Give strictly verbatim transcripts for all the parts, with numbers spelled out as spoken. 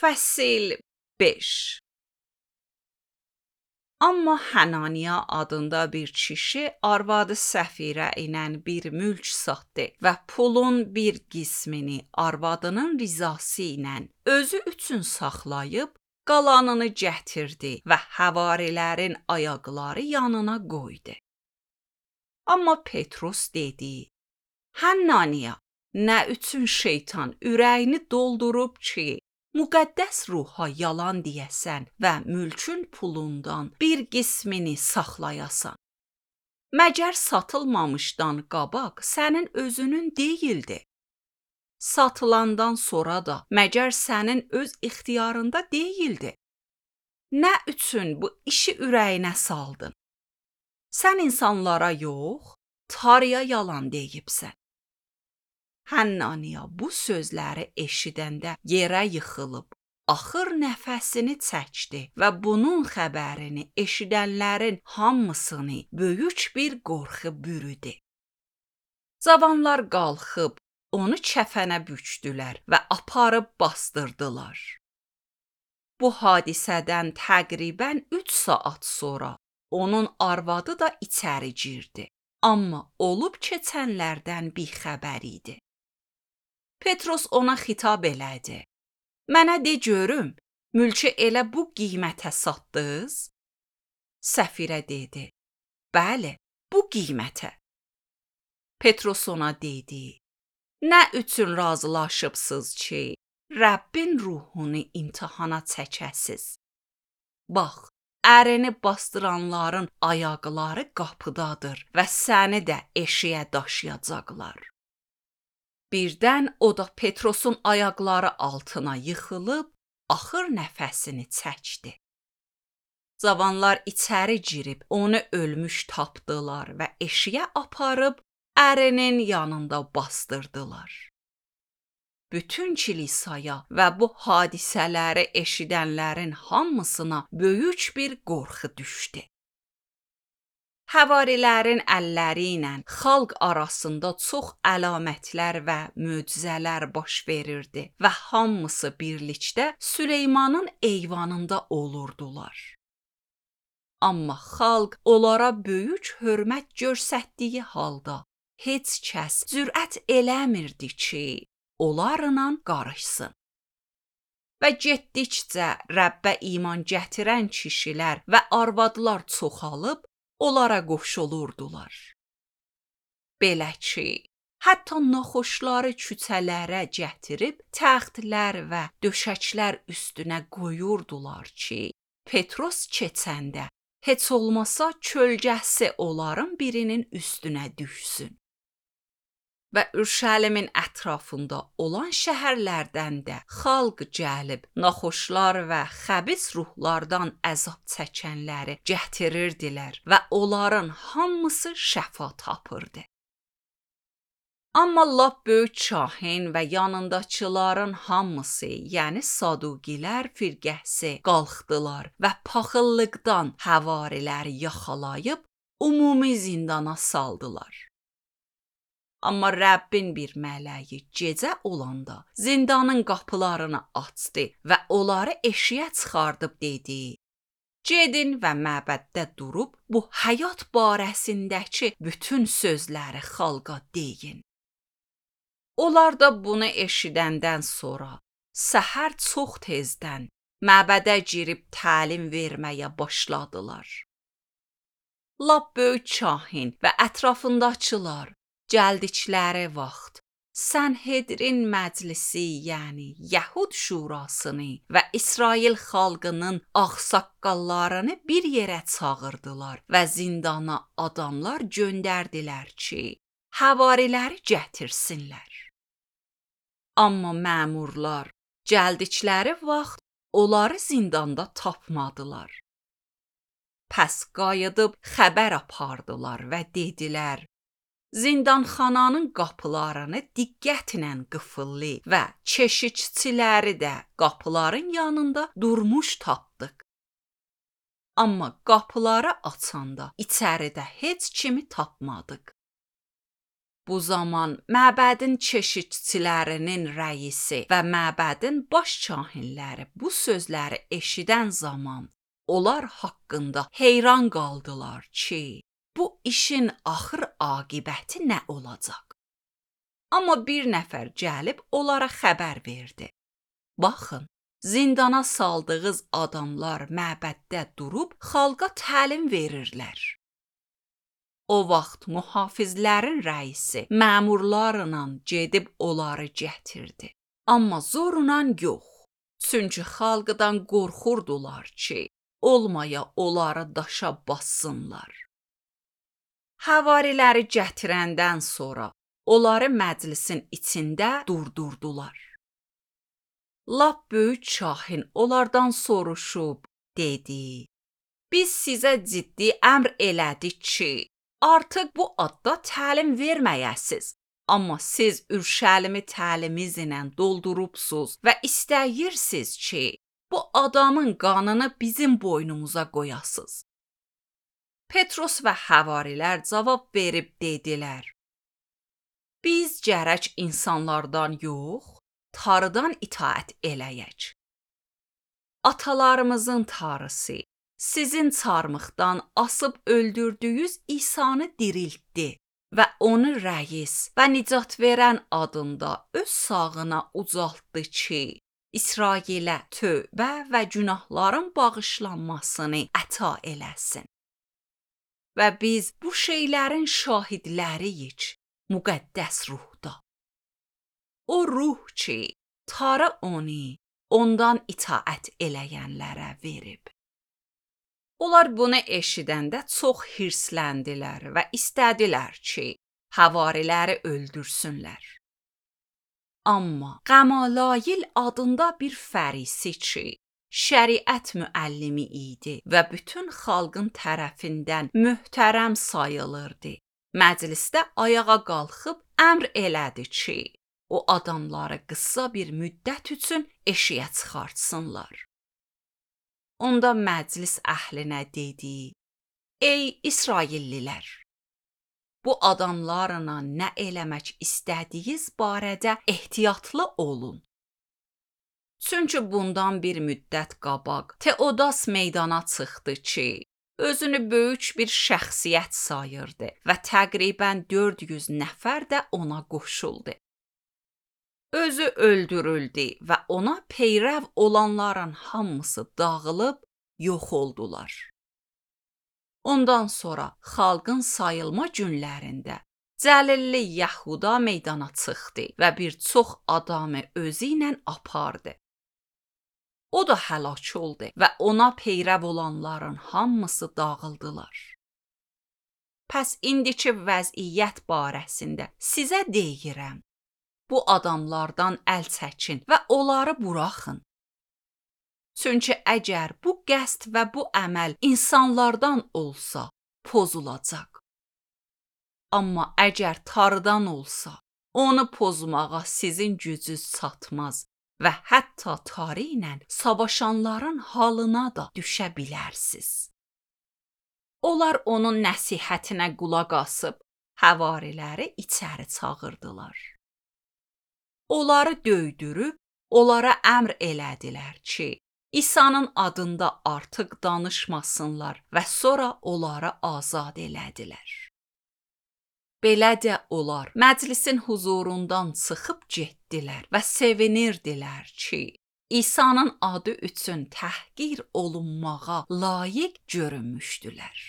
Fəsil beş. Amma Hananiya adında bir kişi arvadı Səfirə ilə bir mülk satdı və pulun bir qismini arvadının rizası ilə özü üçün saxlayıb, qalanını gətirdi və həvarilərin ayaqları yanına qoydu. Amma Petrus dedi: Hananiya, nə üçün şeytan ürəyini doldurub ki, müqəddəs ruha yalan deyəsən və mülkün pulundan bir qismini saxlayasan? Məgər satılmamışdan qabaq sənin özünün deyildi? Satılandan sonra da məgər sənin öz ixtiyarında deyildi? Nə üçün bu işi ürəyinə saldın? Sən insanlara yox, Tanrıya yalan deyibsən. Hananiya bu sözləri eşidəndə yerə yıxılıb, axır nəfəsini çəkdi və bunun xəbərini eşidənlərin hamısını böyük bir qorxu bürüdü. Cavanlar qalxıb onu kəfənə bükdülər və aparıb bastırdılar. Bu hadisədən təqribən üç saat sonra onun arvadı da içəri girdi, amma olub keçənlərdən bixəbər idi. Petrus ona xitab elədi: Mənə de görüm, mülkü elə bu qiymətə satdınız? Səfirə dedi: Bəli, bu qiymətə. Petrus ona dedi: Nə üçün razılaşıbsınız ki, Rəbbin ruhunu imtihana çəkəsiz? Bax, ərini bastıranların ayaqları qapıdadır və səni də eşiyə daşıyacaqlar. Birdən o da Petrusun ayaqları altına yıxılıb, axır nəfəsini çəkdi. Cavanlar içəri girib onu ölmüş tapdılar və eşiyə aparıb ərinin yanında bastırdılar. Bütün kilisaya və bu hadisələri eşidənlərin hamısına böyük bir qorxu düşdü. Həvarilərin əlləri ilə xalq arasında çox əlamətlər və möcüzələr baş verirdi və hamısı birlikdə Süleymanın eyvanında olurdular. Amma xalq onlara böyük hörmət göstərdiyi halda heç kəs cürət eləmirdi ki, onlarla qarışsın. Və getdikcə Rəbbə iman gətirən kişilər və arvadlar çoxalıb, onlara qoşulurdular. Belə ki, hətta naxoşları küçələrə gətirib təxtlər və döşəklər üstünə qoyurdular ki, Petrus keçəndə heç olmasa kölgəsi onların birinin üstünə düşsün. Və Ürşəlimin ətrafında olan şəhərlərdən də xalq gəlib naxoşlar və xəbis ruhlardan əzab çəkənləri gətirirdilər və onların hamısı şəfa tapırdı. Amma lap böyük kahin və yanındakıların hamısı, yəni Saduqilər firqəsi qalxdılar və paxıllıqdan həvariləri yaxalayıb ümumi zindana saldılar. Amma Rəbbin bir mələyi gecə olanda zindanın qapılarını açdı və onları eşiyə çıxardıb dedi: Gedin və məbəddə durub bu həyat barəsindəki bütün sözləri xalqa deyin. Onlar da bunu eşidəndən sonra səhər çox tezdən məbədə girib təlim verməyə başladılar. Lap böyük kahin və ətrafındakılar gəldikləri vaxt Sənhedrin məclisi, yəni Yəhud şurasını və İsrail xalqının ağsaqqallarını bir yerə çağırdılar və zindana adamlar göndərdilər ki, həvariləri gətirsinlər. Amma məmurlar gəldikləri vaxt onları zindanda tapmadılar. Pəs qayıdıb xəbər apardılar və dedilər: Zindanxananın qapılarını diqqətlə qıfıllı və keşikçiləri də qapıların yanında durmuş tapdıq. Amma qapıları açanda içəridə heç kimi tapmadıq. Bu zaman məbədin keşikçilərinin rəisi və məbədin baş kahinləri bu sözləri eşidən zaman onlar haqqında heyran qaldılar ki, bu işin axır aqibəti nə olacaq? Amma bir nəfər gəlib onlara xəbər verdi. Baxın, zindana saldığınız adamlar məbəddə durub xalqa təlim verirlər. O vaxt mühafizlərin rəisi məmurlarla gedib onları gətirdi. Amma zorla yox. Çünki xalqdan qorxurdular ki, olmaya onları daşa bassınlar. Havariləri gətirəndən sonra onları məclisin içində durdurdular. Lap böyük kahin onlardan soruşub dedi: Biz sizə ciddi əmr elədik ki, artıq bu adda təlim verməyəsiz. Amma siz Ürşəlimi təlimizlə doldurubsuz və istəyirsiniz ki, bu adamın qanını bizim boynumuza qoyasız. Petros və havarilər cavab verib dedilər: Biz gərək insanlardan yox, Tanrıdan itaət eləyək. Atalarımızın Tanrısı sizin çarmıxdan asıb öldürdüyünüz İsanı diriltdi və onu rəis və nicat verən adında öz sağına ucaltdı ki, İsrailə tövbə və günahların bağışlanmasını əta eləsin. Və biz bu şeylərin şahidləriyik müqəddəs ruhda. O ruh ki, Tanrı onu ondan itaət eləyənlərə verib. Onlar bunu eşidəndə çox hirsləndilər və istədilər ki, havariləri öldürsünlər. Amma Qəmalayil adında bir fərisi ki, şəriət müəllimi idi və bütün xalqın tərəfindən möhtərəm sayılırdı. Məclisdə ayağa qalxıb əmr elədi ki, o adamları qısa bir müddət üçün eşiyə çıxartsınlar. Onda məclis əhlinə dedi: Ey İsraillilər! Bu adamlarla nə eləmək istədiyiniz barədə ehtiyatlı olun. Çünki bundan bir müddət qabaq Teodas meydana çıxdı ki, özünü böyük bir şəxsiyyət sayırdı və təqribən dörd yüz nəfər də ona qoşuldu. Özü öldürüldü və ona peyrəv olanların hamısı dağılıb yox oldular. Ondan sonra xalqın sayılma günlərində Cəlilli Yəhuda meydana çıxdı və bir çox adamı özü ilə apardı. O da həlak oldu və ona peyrəv olanların hamısı dağıldılar. Pəs indiki vəziyyət barəsində sizə deyirəm, bu adamlardan əl çəkin və onları buraxın. Çünki əgər bu qəsd və bu əməl insanlardan olsa, pozulacaq. Amma əgər Tanrıdan olsa, onu pozmağa sizin gücünüz çatmaz və hətta Tanrı ilə savaşanların halına da düşə bilərsiniz. Onlar onun nəsihətinə qulaq asıb, havariləri içəri çağırdılar. Onları döydürüb, onlara əmr elədilər ki, İsa'nın adında artıq danışmasınlar və sonra onları azad elədilər. Belə də onlar məclisin huzurundan çıxıb getdilər və sevinirdilər ki, İsa'nın adı üçün təhqir olunmağa layiq görünmüşdülər.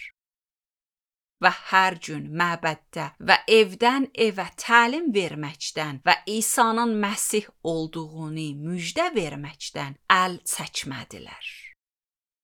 Və hər gün məbəddə və evdən evə təlim verməkdən və İsa'nın Məsih olduğunu müjdə verməkdən əl çəkmədilər.